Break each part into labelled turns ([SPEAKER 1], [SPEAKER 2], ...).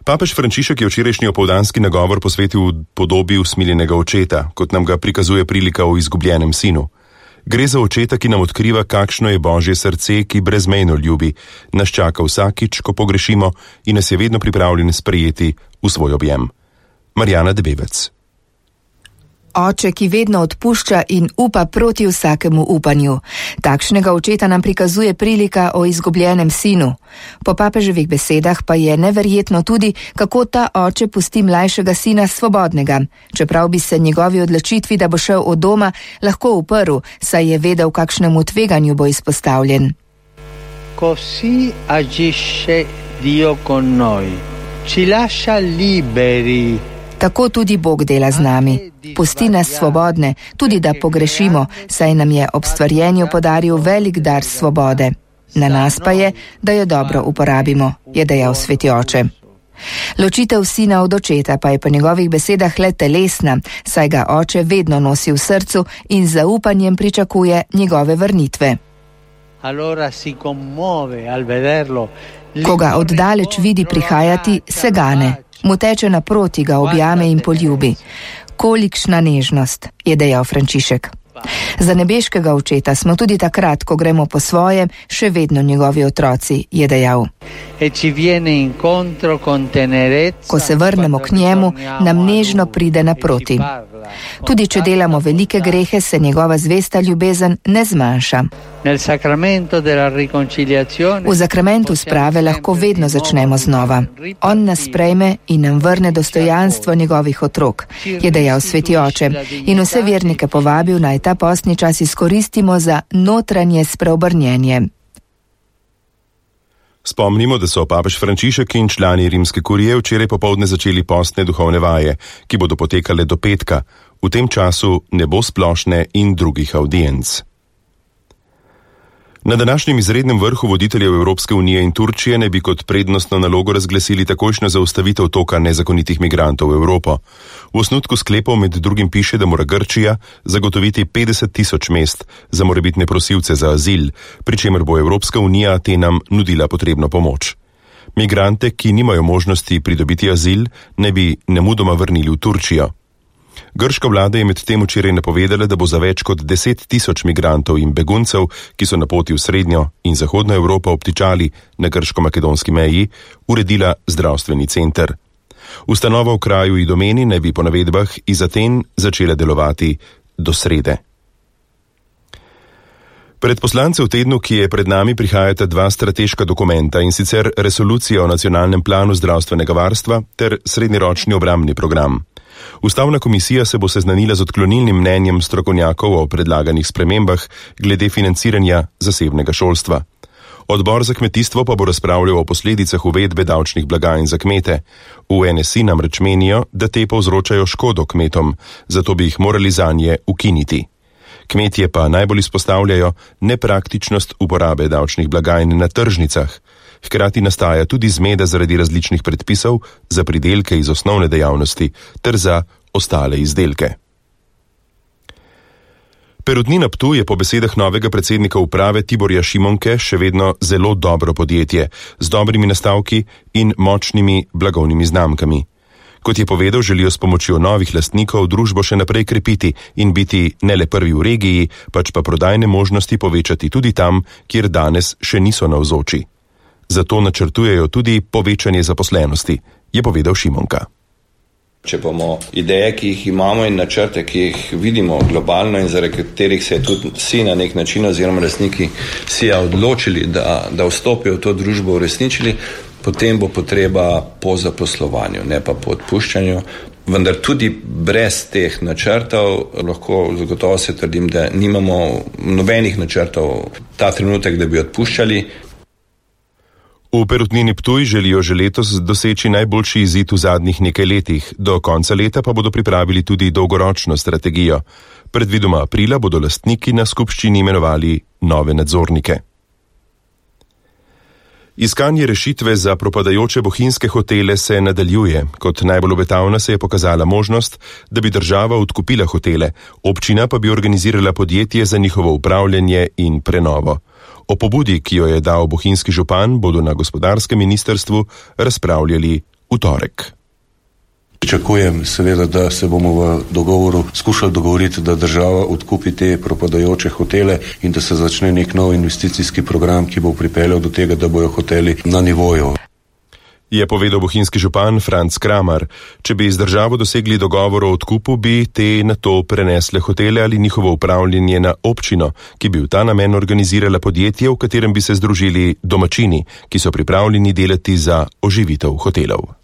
[SPEAKER 1] Papež Frančišek je včerajšnji opoldanski nagovor posvetil podobi usmiljenega očeta, kot nam ga prikazuje prilika o izgubljenem sinu. Gre za očeta, ki nam odkriva, kakšno je Božje srce, ki brezmejno ljubi, nas čaka vsakič, ko pogrešimo in nas je vedno pripravljen sprejeti v svoj objem. Marjana Debevec.
[SPEAKER 2] Oče, ki vedno odpušča in upa proti vsakemu upanju. Takšnega očeta nam prikazuje prilika o izgubljenem sinu. Po papeževih besedah pa je neverjetno tudi, kako ta oče pusti mlajšega sina svobodnega, čeprav bi se njegovi odločitvi, da bo šel od doma, lahko uprl, saj je vedel, kakšnemu tveganju bo izpostavljen.
[SPEAKER 3] Così agisce Dio con noi. Ci lascia liberi.
[SPEAKER 2] Tako tudi Bog dela z nami. Pusti nas svobodne, tudi da pogrešimo, saj nam je ob stvarjenju podaril velik dar svobode. Na nas pa je, da jo dobro uporabimo, je dejal sveti oče. Ločitev sina od očeta pa je po njegovih besedah le telesna, saj ga oče vedno nosi v srcu in z zaupanjem pričakuje njegove vrnitve. Ko ga oddaleč vidi prihajati, se gane. Mu teče naproti, ga objame in poljubi. Kolikšna nežnost, je dejal Frančišek. Za nebeškega očeta smo tudi takrat, ko gremo po svojem, še vedno njegovi otroci, je dejal. Ko se vrnemo k njemu, nam nežno pride naproti. Tudi če delamo velike grehe, se njegova zvesta ljubezen ne zmanjša. V zakramentu sprave lahko vedno začnemo znova. On nas sprejme in nam vrne dostojanstvo njegovih otrok, je dejal sveti oče, in vse vernike povabil, naj ta postni čas izkoristimo za notranje spreobrnjenje.
[SPEAKER 1] Spomnimo, da so papež Frančišek in člani rimske kurije včeraj popoldne začeli postne duhovne vaje, ki bodo potekale do petka. V tem času ne bo splošne in drugih audienc. Na današnjem izrednem vrhu voditeljev Evropske unije in Turčije ne bi kot prednostno nalogo razglasili takojšnjo zaustavitev toka nezakonitih migrantov v Evropo. V osnutku sklepov med drugim piše, da mora Grčija zagotoviti 50.000 mest za morebitne prosilce za azil, pri čemer bo Evropska unija Atenam nudila potrebno pomoč. Migrante, ki nimajo možnosti pridobiti azil, ne bi nemudoma vrnili v Turčijo. Grška vlada je medtem včeraj napovedala, da bo za več kot 10.000 migrantov in beguncev, ki so na poti v srednjo in zahodno Evropo obtičali na grško-makedonski meji, uredila zdravstveni center. Ustanova v kraju Idomeni naj bi po navedbah iz Aten začela delovati do srede. Pred poslance v tednu, ki je pred nami, prihajata dva strateška dokumenta, in sicer resolucija o nacionalnem planu zdravstvenega varstva ter srednjeročni obrambni program. Ustavna komisija se bo seznanila z odklonilnim mnenjem strokovnjakov o predlaganih spremembah glede financiranja zasebnega šolstva. Odbor za kmetijstvo pa bo razpravljal o posledicah uvedbe davčnih blagajn za kmete. V NSI namreč menijo, da te povzročajo škodo kmetom, zato bi jih morali zanje ukiniti. Kmetje pa najbolj izpostavljajo nepraktičnost uporabe davčnih blagajn na tržnicah. Hkrati nastaja tudi zmeda zaradi različnih predpisov za pridelke iz osnovne dejavnosti ter za ostale izdelke. Perutnina Ptuj je po besedah novega predsednika uprave Tiborja Šimonke še vedno zelo dobro podjetje, z dobrimi nastavki in močnimi blagovnimi znamkami. Kot je povedal, želijo s pomočjo novih lastnikov družbo še naprej krepiti in biti ne le prvi v regiji, pač pa prodajne možnosti povečati tudi tam, kjer danes še niso navzoči. Zato načrtujejo tudi povečanje zaposlenosti, je povedal Šimonka.
[SPEAKER 4] Če bomo ideje, ki jih imamo in načrte, ki jih vidimo globalno in zaradi katerih se tudi vsi na nek način oziroma lastniki SIA odločili, da vstopijo v to družbo, uresničili, potem bo potreba po zaposlovanju, ne pa po odpuščanju. Vendar tudi brez teh načrtov lahko zagotovo se trdim, da nimamo nobenih načrtov ta trenutek, da bi odpuščali.
[SPEAKER 1] V Perutnini Ptuj želijo že letos doseči najboljši izid v zadnjih nekaj letih, do konca leta pa bodo pripravili tudi dolgoročno strategijo. Predvidoma aprila bodo lastniki na skupščini imenovali nove nadzornike. Iskanje rešitve za propadajoče bohinjske hotele se nadaljuje. Kot najbolj obetavna se je pokazala možnost, da bi država odkupila hotele, občina pa bi organizirala podjetje za njihovo upravljanje in prenovo. O pobudi, ki jo je dal bohinjski župan, bodo na gospodarskem ministrstvu razpravljali v torek.
[SPEAKER 5] Pričakujem seveda, da se bomo v dogovoru skušali dogovoriti, da država odkupi te propadajoče hotele in da se začne nek nov investicijski program, ki bo pripeljal do tega, da bojo hoteli na nivoju.
[SPEAKER 1] Je povedal bohinjski župan Franc Kramar. Če bi z državo dosegli dogovor o odkupu, bi te na to prenesle hotele ali njihovo upravljanje na občino, ki bi v ta namen organizirala podjetje, v katerem bi se združili domačini, ki so pripravljeni delati za oživitev hotelov.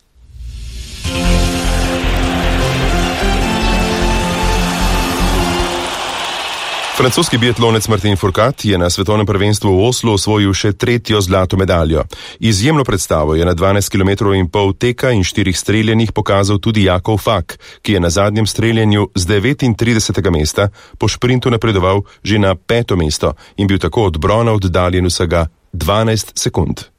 [SPEAKER 1] Francoski biatlonec Martin Fourcade je na svetovnem prvenstvu v Oslu osvojil še 3. zlato medaljo. Izjemno predstavo je na 12,5 km teka in 4 streljanjih pokazal tudi Jakov Fak, ki je na zadnjem streljanju z 39. mesta po šprintu napredoval že na 5. mesto in bil tako od brona oddaljen vsega 12 sekund.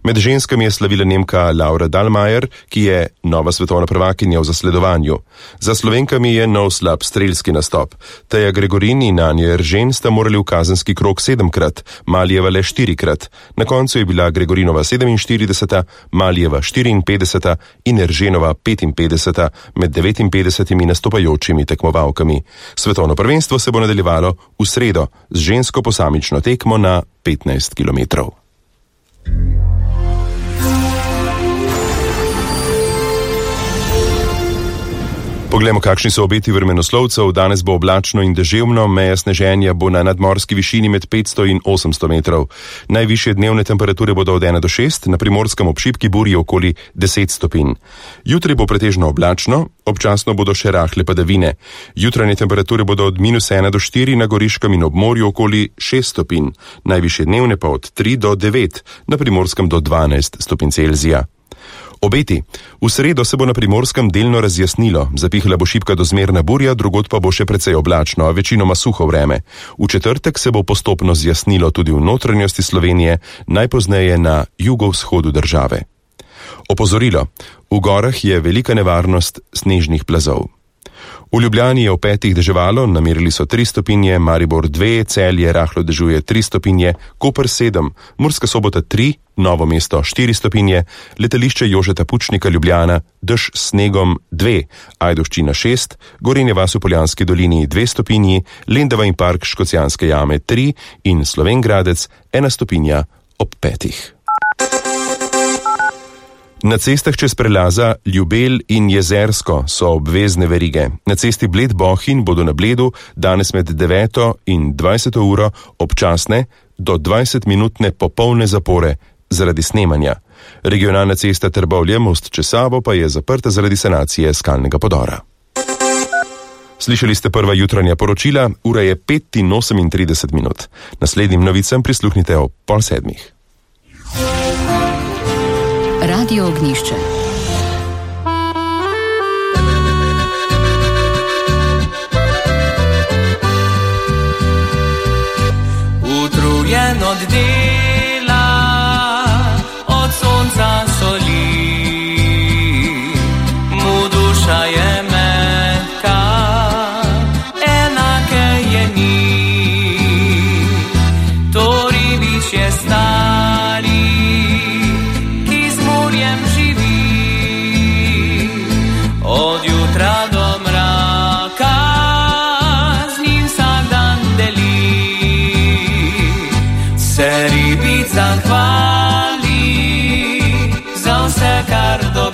[SPEAKER 1] Med ženskami je slavila Nemka Laura Dahlmeier, ki je nova svetovna prvakinja v zasledovanju. Za Slovenkami je nov slab strelski nastop. Teja Gregorin in Anja Eržen sta morali v kazenski krog 7-krat, Malijeva le 4-krat. Na koncu je bila Gregorinova 47., Malijeva 54. in Erženova 55. med 59 nastopajočimi tekmovalkami. Svetovno prvenstvo se bo nadaljevalo v sredo z žensko posamično tekmo na 15 km. Poglejmo, kakšni so obeti vremenoslovcev. Danes bo oblačno in deževno, meja sneženja bo na nadmorski višini med 500 in 800 metrov. Najvišje dnevne temperature bodo od 1 do 6, na Primorskem ob šibki burji okoli 10 stopinj. Jutri bo pretežno oblačno, občasno bodo še rahle padavine. Jutranje temperature bodo od -1 do 4, na Goriškem in ob morju okoli 6 stopinj. Najvišje dnevne pa od 3 do 9, na Primorskem do 12 stopinj Celzija. Obeti. V sredo se bo na Primorskem delno razjasnilo, zapihala bo šibka do zmerna burja, drugod pa bo še precej oblačno, a večinoma suho vreme. V četrtek se bo postopno zjasnilo tudi v notranjosti Slovenije, najpozneje na jugovzhodu države. Opozorilo. V gorah je velika nevarnost snežnih plazov. V Ljubljani je v 5 deževalo, namerili so 3 stopinje, Maribor 2, Celje rahlo dežuje 3 stopinje, Koper 7, Murska Sobota 3, Novo mesto 4 stopinje, letališče Jožeta Pučnika Ljubljana, dež s snegom 2, Ajdovščina 6, Gorenje vas v Poljanski dolini 2 stopinji, Lendava in park Škocjanske jame 3 in Slovenj Gradec 1 stopinja ob 5. Na cestah čez prelaza Ljubelj in Jezersko so obvezne verige. Na cesti Bled-Bohinj bodo na Bledu danes med 9 in 20 uro občasne do 20-minutne popolne zapore zaradi snemanja. Regionalna cesta Trbovlje-Most čez Savo pa je zaprta zaradi sanacije skalnega podora. Slišali ste prva jutranja poročila, ura je 5:38. Naslednjim novicam prisluhnite ob 6:30.
[SPEAKER 6] Radio Ognjišče. Utrujeno dne